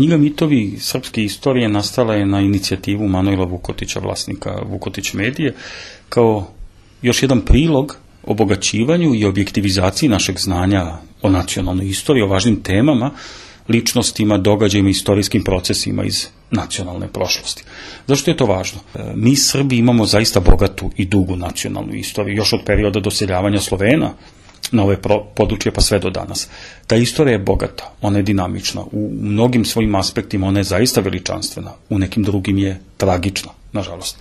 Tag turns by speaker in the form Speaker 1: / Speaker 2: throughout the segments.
Speaker 1: Knjiga Mitovi srpske istorije nastala je na inicijativu Manojla Vukotića, vlasnika Vukotić medije, kao još jedan prilog obogaćivanju i objektivizaciji našeg znanja o nacionalnoj istoriji, o važnim temama, ličnostima, događajima, istorijskim procesima iz nacionalne prošlosti. Zašto je to važno? Mi Srbi imamo zaista bogatu i dugu nacionalnu istoriju, još od perioda doseljavanja Slovena na ove područje pa sve do danas. Ta istorija je bogata, ona je dinamična, u mnogim svojim aspektima ona je zaista veličanstvena, u nekim drugim je tragična, nažalost.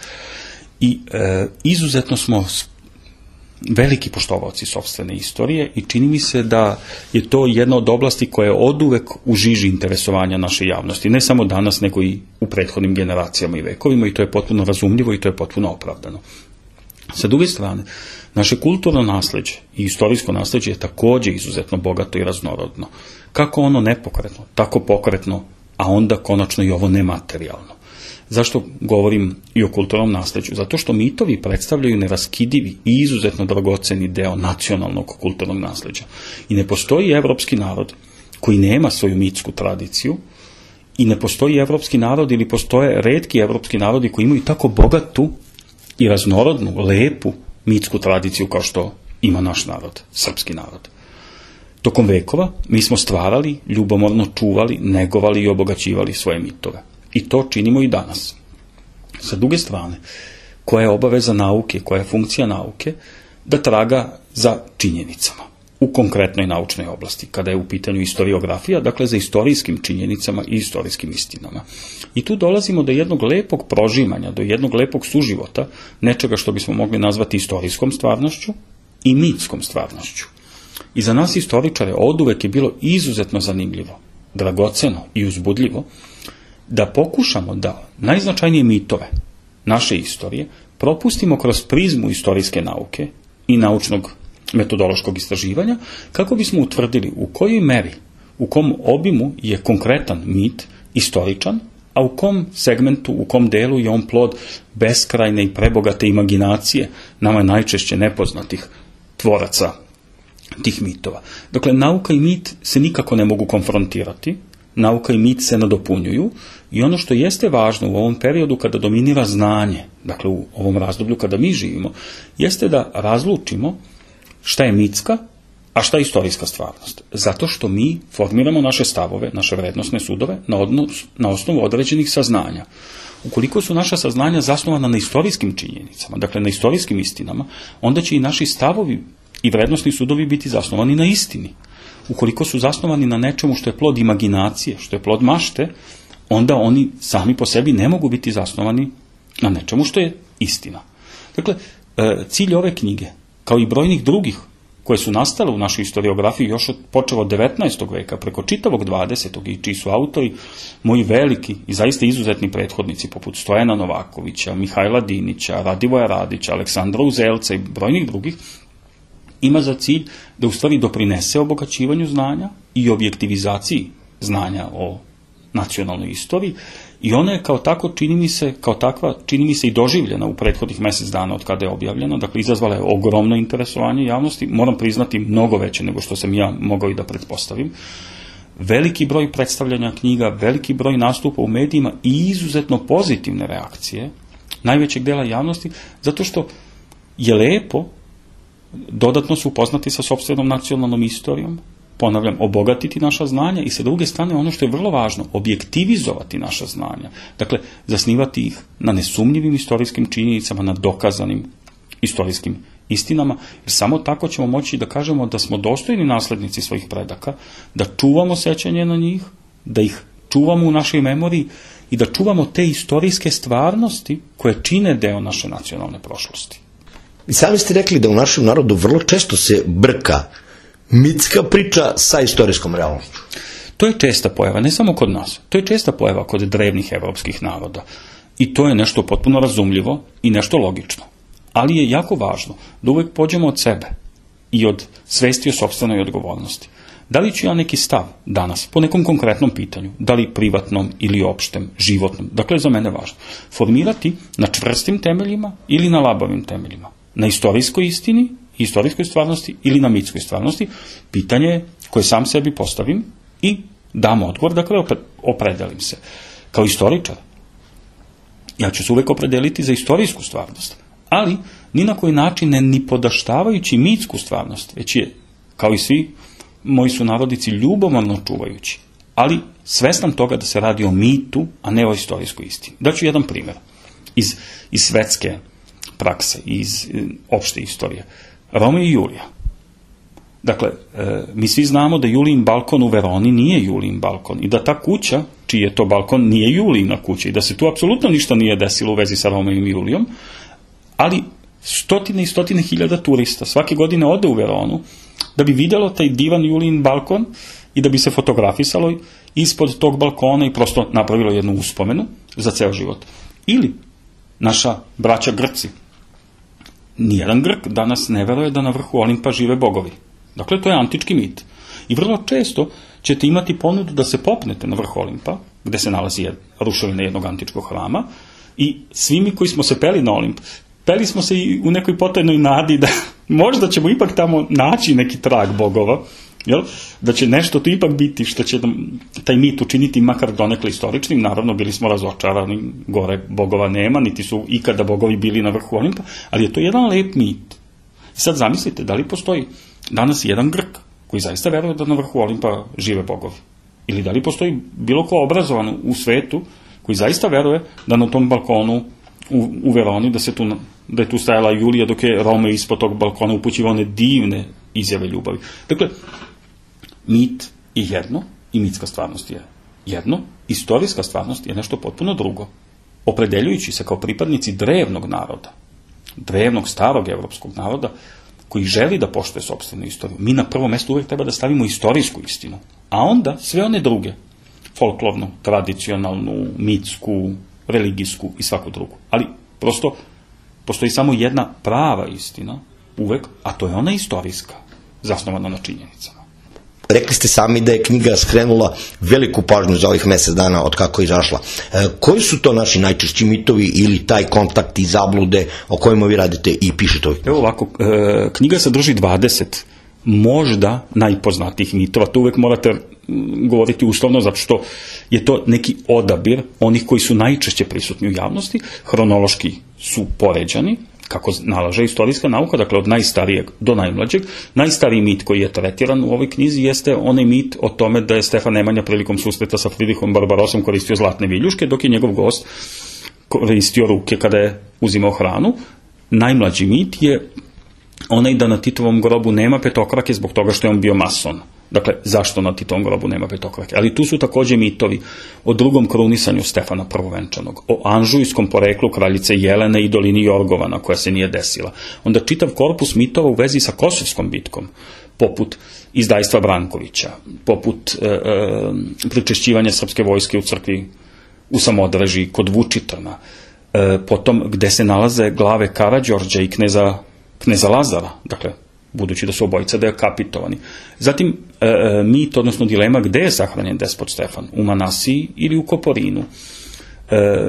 Speaker 1: I izuzetno smo veliki poštovaoci sopstvene istorije i čini mi se da je to jedna od oblasti koja je oduvek u žiži interesovanja naše javnosti, ne samo danas, nego i u prethodnim generacijama i vekovima, i to je potpuno razumljivo i to je potpuno opravdano. Sa druge strane, naše kulturno nasleđe i istorijsko nasleđe je takođe izuzetno bogato i raznorodno. Kako ono nepokretno, tako pokretno, a onda konačno i ovo nematerijalno. Zašto govorim i o kulturnom nasleđu? Zato što mitovi predstavljaju neraskidivi i izuzetno dragoceni deo nacionalnog kulturnog nasleđa. I ne postoji evropski narod koji nema svoju mitsku tradiciju, i ne postoji evropski narod ili postoje retki evropski narodi koji imaju tako bogatu i raznorodnu, lepu mitsku tradiciju kao što ima naš narod, srpski narod. Tokom vekova mi smo stvarali, ljubomorno čuvali, negovali i obogaćivali svoje mitove. I to činimo i danas. Sa druge strane, koja je obaveza nauke, koja je funkcija nauke, da traga za činjenicama u konkretnoj naučnoj oblasti, kada je u pitanju istoriografija, dakle za istorijskim činjenicama i istorijskim istinama. I tu dolazimo do jednog lepog prožimanja, do jednog lepog suživota, nečega što bismo mogli nazvati istorijskom stvarnošću i mitskom stvarnošću. I za nas istoričare oduvek je bilo izuzetno zanimljivo, dragoceno i uzbudljivo da pokušamo da najznačajnije mitove naše istorije propustimo kroz prizmu istorijske nauke i naučnog metodološkog istraživanja, kako bismo utvrdili u kojoj meri, u kom obimu je konkretan mit istoričan, a u kom segmentu, u kom delu je on plod beskrajne i prebogate imaginacije nama najčešće nepoznatih tvoraca tih mitova. Dakle, nauka i mit se nikako ne mogu konfrontirati, nauka i mit se nadopunjuju, i ono što jeste važno u ovom periodu kada dominira znanje, dakle u ovom razdoblju kada mi živimo, jeste da razlučimo šta je mitska, a šta je istorijska stvarnost. Zato što mi formiramo naše stavove, naše vrednosne sudove na osnovu određenih saznanja. Ukoliko su naša saznanja zasnovana na istorijskim činjenicama, dakle na istorijskim istinama, onda će i naši stavovi i vrednosni sudovi biti zasnovani na istini. Ukoliko su zasnovani na nečemu što je plod imaginacije, što je plod mašte, onda oni sami po sebi ne mogu biti zasnovani na nečemu što je istina. Dakle, cilj ove knjige, kao i brojnih drugih koje su nastale u našoj historiografiji još počevo od 19. veka preko čitavog 20. i čiji su autori moji veliki i zaista izuzetni prethodnici poput Stojana Novakovića, Mihajla Dinića, Radivoja Radića, Aleksandra Uzelca i brojnih drugih, ima za cilj da u stvari doprinese obogaćivanju znanja i objektivizaciji znanja o nacionalnoj istoriji, i ona je kao takva čini mi se i doživljena u prethodnih mesec dana od kada je objavljena, dakle izazvala je ogromno interesovanje javnosti, moram priznati mnogo veće nego što sam ja mogao i da pretpostavim. Veliki broj predstavljanja knjiga, veliki broj nastupa u medijima i izuzetno pozitivne reakcije najvećeg dela javnosti, zato što je lepo dodatno se upoznati sa sopstvenom nacionalnom istorijom, ponavljam, obogatiti naša znanja, i sa druge strane ono što je vrlo važno, objektivizovati naša znanja. Dakle, zasnivati ih na nesumnjivim istorijskim činjenicama, na dokazanim istorijskim istinama, jer samo tako ćemo moći da kažemo da smo dostojni naslednici svojih predaka, da čuvamo sećanje na njih, da ih čuvamo u našoj memoriji i da čuvamo te istorijske stvarnosti koje čine deo naše nacionalne prošlosti.
Speaker 2: I sami ste rekli da u našem narodu vrlo često se brka mitska priča sa istorijskom realnošću.
Speaker 1: To je česta pojava, ne samo kod nas, to je česta pojava kod drevnih evropskih naroda. I to je nešto potpuno razumljivo i nešto logično. Ali je jako važno da uvek pođemo od sebe i od svesti o sopstvenoj odgovornosti. Da li ću ja neki stav danas, po nekom konkretnom pitanju, da li privatnom ili opštem, životnom, dakle za mene važno, formirati na čvrstim temeljima ili na labavim temeljima, na istorijskoj istini, istorijskoj stvarnosti ili na mitskoj stvarnosti, pitanje koje sam sebi postavim i dam odgovor, dakle opredelim se. Kao istoričar, ja ću se uvek opredeliti za istorijsku stvarnost, ali ni na koji način ne ni podaštavajući mitsku stvarnost, već je, kao i svi moji sunarodnici, ljubomorno čuvajući, ali svestan toga da se radi o mitu, a ne o istorijskoj istini. Daću jedan primjer iz svetske prakse, iz opšte istorije. Romeo i Julija. Dakle, mi svi znamo da Julijin balkon u Veroni nije Julijin balkon i da ta kuća, čiji je to balkon, nije Julijina kuća i da se tu apsolutno ništa nije desilo u vezi sa Romeom i Julijom, ali stotine i stotine hiljada turista svake godine ode u Veronu da bi vidjelo taj divan Julijin balkon i da bi se fotografisalo ispod tog balkona i prosto napravilo jednu uspomenu za ceo život. Ili naša braća Grci. Nijedan Grk danas ne veruje da na vrhu Olimpa žive bogovi. Dakle, to je antički mit. I vrlo često ćete imati ponudu da se popnete na vrh Olimpa, gde se nalazi ruševina jednog antičkog hrama, i svi mi koji smo se peli na Olimp, peli smo se i u nekoj potajnoj nadi da možda ćemo ipak tamo naći neki trag bogova, jel? Da će nešto tu ipak biti što će taj mit učiniti makar donekle istoričnim. Naravno, bili smo razočarani, gore bogova nema, niti su ikada bogovi bili na vrhu Olimpa, ali je to jedan lep mit. I sad zamislite, da li postoji danas jedan Grk koji zaista veruje da na vrhu Olimpa žive bogovi? Ili da li postoji bilo ko obrazovan u koji zaista veruje da na tom balkonu u Veroni, da je tu stajala Julija dok je Romeo ispod tog balkona upućivao one divne izjave ljubavi. Dakle, mit je jedno i mitska stvarnost je jedno, istorijska stvarnost je nešto potpuno drugo. Opredeljujući se kao pripadnici drevnog naroda, drevnog starog evropskog naroda, koji želi da poštuje sopstvenu istoriju, mi na prvo mesto uvek treba da stavimo istorijsku istinu, a onda sve one druge, folklornu, tradicionalnu, mitsku, religijsku i svaku drugu. Ali prosto postoji samo jedna prava istina uvek, a to je ona istorijska, zasnovana na činjenicama.
Speaker 2: Rekli ste sami da je knjiga skrenula veliku pažnju za ovih mesec dana od kako je izašla. Koji su to naši najčešći mitovi ili taj kontakt i zablude o kojima vi radite i pišete ovih?
Speaker 1: Evo ovako, knjiga sadrži 20 možda najpoznatijih mitova. To uvek morate govoriti uslovno, zato što je to neki odabir onih koji su najčešće prisutni u javnosti, hronološki su poređani, kako nalaže istorijska nauka, dakle od najstarijeg do najmlađeg. Najstariji mit koji je tretiran u ovoj knjizi jeste onaj mit o tome da je Stefan Nemanja prilikom susreta sa Fridrihom Barbarosom koristio zlatne viljuške, dok je njegov gost koristio ruke kada je uzimao hranu. Najmlađi mit je onaj da na Titovom grobu nema petokrake zbog toga što je on bio mason. Dakle, zašto na Titovom grobu nema petokrake? Ali tu su takođe mitovi o drugom krunisanju Stefana Prvovenčanog, o anžujskom poreklu kraljice Jelene i dolini Jorgovana koja se nije desila. Onda čitav korpus mitova u vezi sa Kosovskom bitkom, poput izdajstva Brankovića, poput pričešćivanja srpske vojske u crkvi u Samodreži kod Vučitrna, potom gde se nalaze glave Karađorđa i kneza Lazara, dakle, budući da su obojica dekapitovani. Zatim, mit, odnosno dilema gde je sahranjen despot Stefan, u Manasiji ili u Koporinu.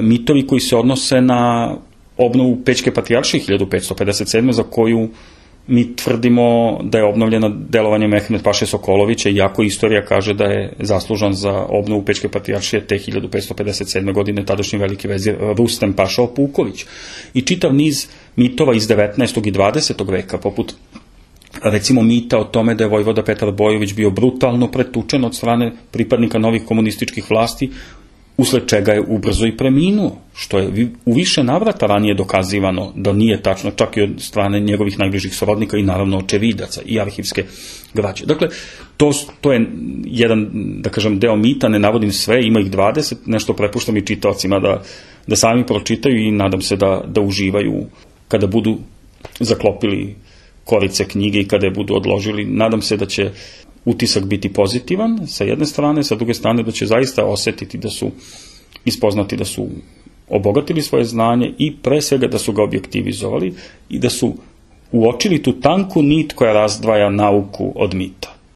Speaker 1: Mitovi koji se odnose na obnovu Pećke patrijaršije 1557. za koju mi tvrdimo da je obnovljena delovanjem Mehmed Paše Sokolovića, iako istorija kaže da je zaslužan za obnovu Pećke patrijaršije te 1557. godine tadašnji veliki vezir Rustem Paša Opuković. I čitav niz mitova iz 19. i 20. veka, poput recimo mita o tome da je vojvoda Petar Bojović bio brutalno pretučen od strane pripadnika novih komunističkih vlasti, usled čega je ubrzo i preminuo, što je u više navrata ranije dokazivano da nije tačno, čak i od strane njegovih najbližih srodnika i naravno očevidaca i arhivske građe. Dakle, to je jedan, da kažem, deo mita, ne navodim sve, ima ih 20, nešto prepuštam i čitaocima da sami pročitaju i nadam se da uživaju kada budu zaklopili korice knjige i kada je budu odložili. Nadam se da će utisak biti pozitivan sa jedne strane, sa druge strane da će zaista osetiti da su ispoznati, da su obogatili svoje znanje i pre svega da su ga objektivizovali i da su uočili tu tanku nit koja razdvaja nauku od mita.